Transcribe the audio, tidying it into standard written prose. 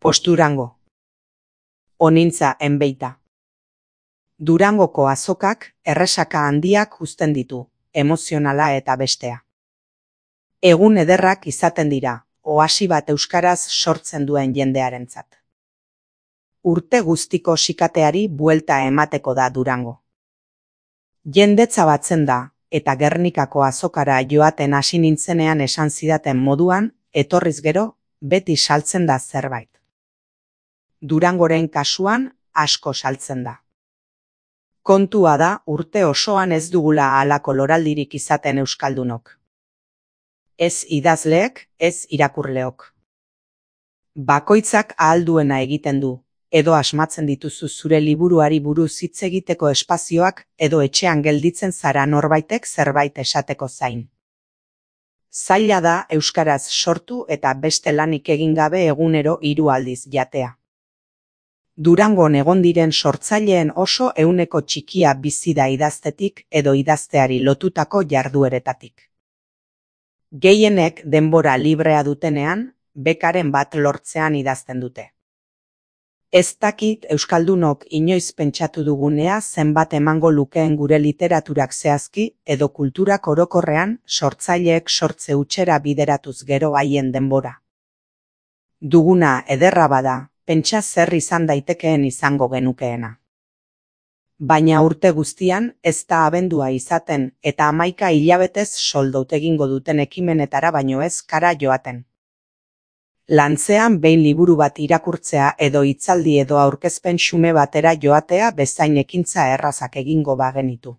Posturango. Onintza enbeita. Durangoko azokak erresaka handiak uzten ditu, emozionala eta bestea. Egun ederrak izaten dira, oasi bat euskaraz sortzen duen jendearentzat. Urte guztiko sikateari buelta emateko da Durango. Jendetza batzen da, eta Gernikako azokara joaten hasi nintzenean esan zidaten moduan, etorriz gero, beti saltzen da zerbait. Durangoren kasuan asko saltzen da. Kontua da urte osoan ez dugula halako loraldirik izaten euskaldunok. Ez idazleek, ez irakurleok. Bakoitzak ahal duena egiten du, edo asmatzen dituzu zure liburuari buruz hitz egiteko espazioak edo etxean gelditzen zara norbaitek zerbait esateko zain. Zaila da euskaraz sortu eta beste lanik egin gabe egunero 3 aldiz jatea. Durangon egon diren sortzaileen oso ehuneko txikia bizi da idaztetik edo idazteari lotutako jardueretatik. Gehienek denbora librea dutenean, bekaren bat lortzean idazten dute. Ez dakit euskaldunok inoiz pentsatu dugunea zenbat emango lukeen gure literaturak zehazki edo kulturak orokorrean sortzaileek sortze hutsera bideratuz gero haien denbora. Duguna ederra bada, pentsa zer izan daitekeen izango genukeena. Baina urte guztian ez da abendua izaten eta 11 hilabetez soldot egingo duten ekimenetara baino ez kara joaten. Lantzean behin liburu bat irakurtzea edo hitzaldi edo aurkezpen xume batera joatea bezain ekintza errazak egingo bagenitu.